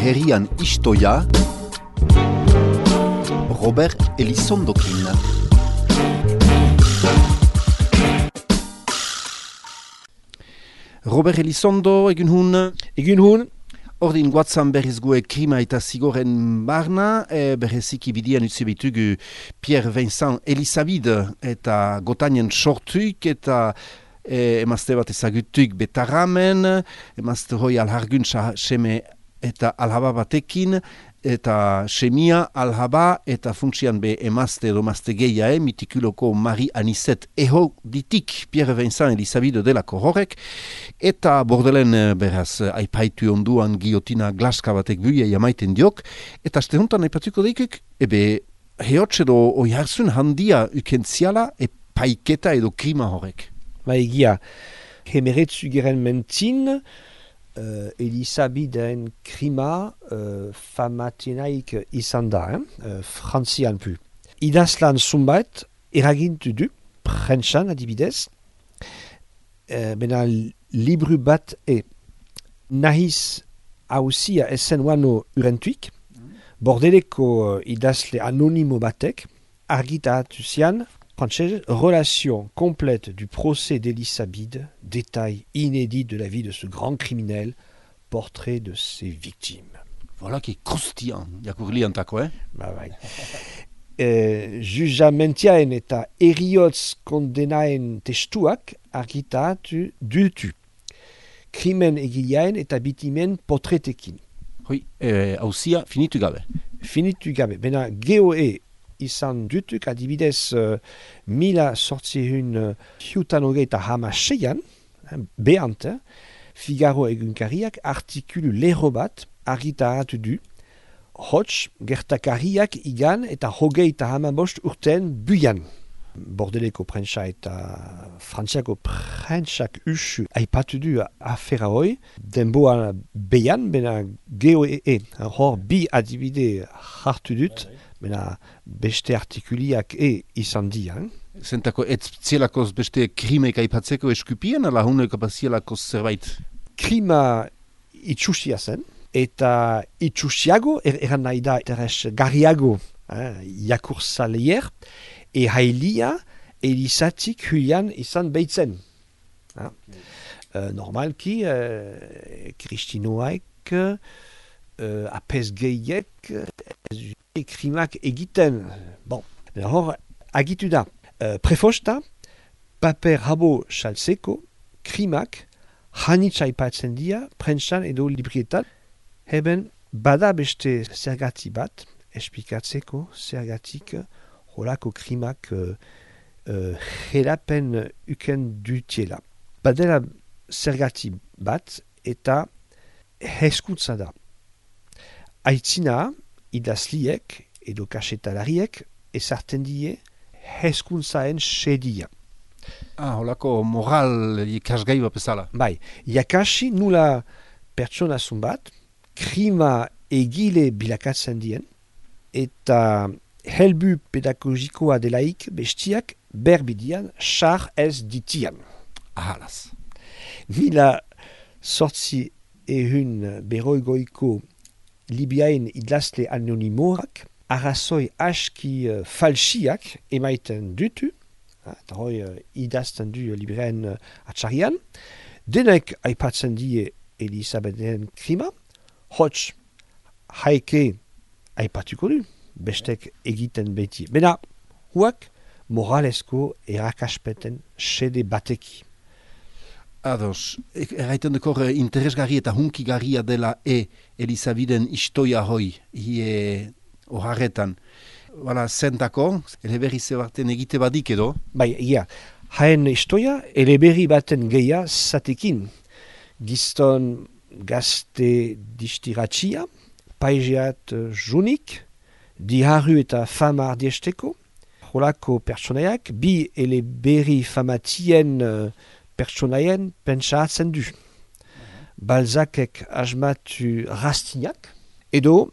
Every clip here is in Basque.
herrian istoia, Robert Elizondokin. Robert Elizondo, egun hun. Egun hun. Ordin guatzan berriz gue krima eta zigoren barna, berreziki bidian utzi bitugu Pierre Vincent Elisabide eta gotainen sortuik eta emazte bat ezagutuik betarramen, emazte hoi alharguntza seme eta alhaba batekin, eta semia, alhaba eta funtsian be emazte edo emazte gehiae, mitikuloko Marie Anisette eho ditik Pierre Vincent Elisabide delako horrek, eta bordelen beraz aipaitu onduan giotina glaska batek buia jamaiten diok, eta aste hontan aipatuko deikuk, hehotz edo oiharzun handia ukentziala paiketa edo krima horrek. Egia, hemeretzu geren mentzin, Elisabideen krima famatenaik izan da, frantzian pu. Idazlan zunbait eragintu du, prentsan adibidez, bena libru bat nahiz hausia esen wano urentuik, bordeleko idazle anonimo batek, argitaratu zian, relation complète du procès d'Elisabide, détail inédit de la vie de ce grand criminel, portrait de ses victimes. Voilà qui est croustillant, jakurliantako, Jujamentiaen eta eriotz kondenaen testuak argitaratu dutu. Krimen egileaen eta bitimen portretekin. Hoi, hausia finitu gabe. Finitu gabe. Bena geoe izan dutuk adibidez mila sortzihun hiutanogeita hamaseian, behant, Figaro egunkariak artikulu lehro bat argitaratu du, hots gertakariak igan eta hogeita hamabost urten buian. Bordeleko prentsa eta frantziako prentsak usu aipatu du afera hoi, denboa behan, bena geoe, hor bi adibide hartu dut, bena beste artikuliak izan dian. Zentako ez zielakoz beste krimek aipatzeko eskupien, ala huneko bazielakoz zerbait? Krima itxusia zen, eta itxusiago, eran nahi da, teres garriago, jakurzalier, hailia Elisatik huian izan behitzen. Normalki, kristinoaek, apesgeiek, krimak egiten. Bon, hor, agitu da. Prefosta, paper rabo salseko, krimak, hanitza aipatzen dia, prentsan edo librietan, heben bada beste zergati bat, espikatzeko zergatik, holako krimak jerapen uken dutiela. Badela zergati bat eta hezkuntza da. Aitzina, idazliek edo kasetalariek ezarten die hezkuntzaen sedia. Holako moral ikasgai bat bezala. Bai, jakasi nula pertsona bat, krima egile bilakatzen dien, eta helbu pedagogikoa delaik bestiak berbidian xar ez ditian. Ahalaz. Mila sortzi beroigoiko Libiaen idazle anonimorak arrazoi aski falsiak emaiten dutu, eta hoi idazten du libreen atxarian, denek aipatzen die Elisabeden krima, hots haike aipatuko du, bestek egiten beti. Bena, huak moralesko erakaspeten sede bateki. Ados, erraiten dekor interesgarri eta hunkigarria dela Elisabiden istoia hoi, oharretan. Bala, zentako, eleberri zebarten egite badik edo? Bai, haen istoia, eleberri baten geia zatekin. Gizton gazte distiratxia, paizeat junik, diharru eta fama ardiesteko, holako pertsonaiak, bi eleberri famatien pertsonaien pentsatzen du. Balzacek asmatu Rastignac, edo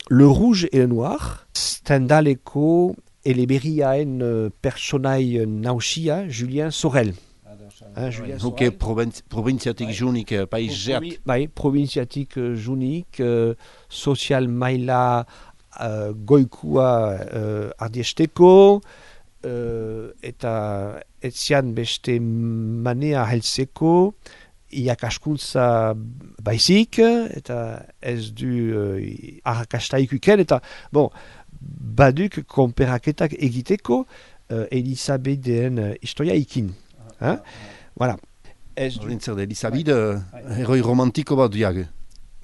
Le Rouge et le Noir, Stendhaleko eleberriaen personai nausia Julien Sorel. Julia Huke provintziatik junik paizeat. Bai, provintziatik junik, sozial maila goikua ardiesteko, eta etzian beste manea heltzeko, iakaskuntza baizik, eta ez du arrakasta ikuken, eta baduk konperaketak egiteko Elisabeden historia ikin. Voilà. Zer da, Elisabide, heroi romantiko bat diag.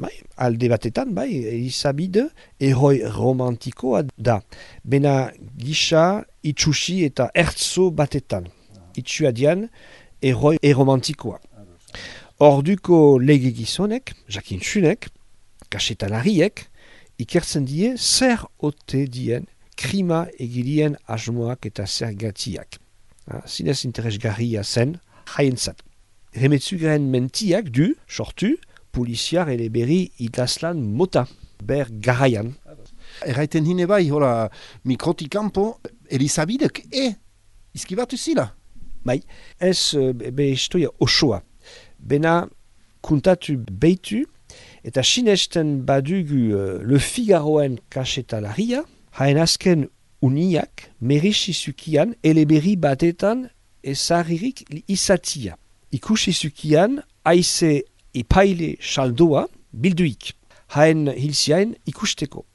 Bai, alde batetan, bai, Elisabide heroi romantikoa da. Bena gisa, itxusi eta ertzo batetan. Itxua dian, heroi eromantikoa. Orduko lege gizonek, jakintsunek, kasetalariek, ikertzen die zer ote dien krima egilien asmoak eta zergatiak. Zinez interesgarria zen, haientzat. Remetzugaren mentiak du, sortu, poliziar eleberri idazlan mota, ber garaian. Erraiten hine bai, hola, mikrotikampo, Elisabidek, izkibatu zila? Bai, ez be historia osoa. Bena kuntatu beitu, eta sinesten badugu Le Figaroen kasetalaria, haen azken uniak merisizukian eleberri batetan ezagririk izatia. Ikusizukian haize epaile saldoa bilduik, haen hilziaen ikusteko.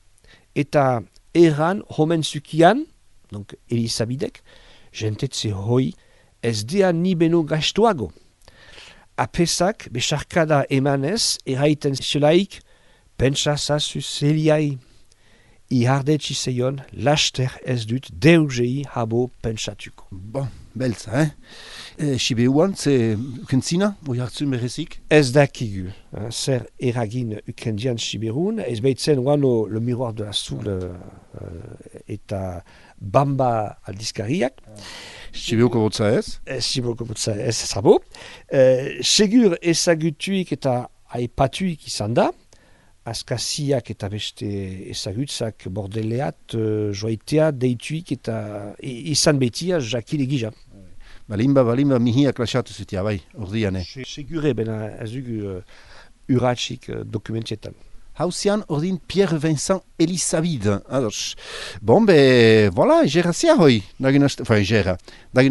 Eta erran homenzukian, donc Elisabidek, jentetze hoi ez dea ni beno gaiztoago. Apesak besarkada emanez erraiten zelaik pentsa zazu zeliai. Ihardetsi zeion laster ez dut deugei habo pentsatuko. Bon, beltza, Sibeuan, ze ukentzina, oi hartzun berezik? Ez dakigu, zer eragin ukendian Siberun, ez behitzen guano Le Miroir de la Soule eta Bamba aldizkariak. Sibeuko botza ez? Sibeuko botza ez zabo. Segur ezagutuik eta aipatuik izan da, askaziak eta beste ezagutzak bordeleat, joaitea, deituik eta izan betia jakile gija. Balimba, mihiak lasatu zutia, bai, ordiane. Segure, bena ez dugu urratxik dokumentietan. Hauzian ordin Pierre Vincent Elisabide. Ados. Bon, be, voilà, egera zia hoi. Dagin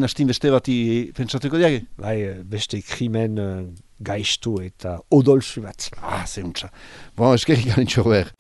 hastin beste bati pentsatuko diage? Bai, beste krimen gaiztu eta odolzu bat. Zeuntza. Bon, eskerrik garen txorber.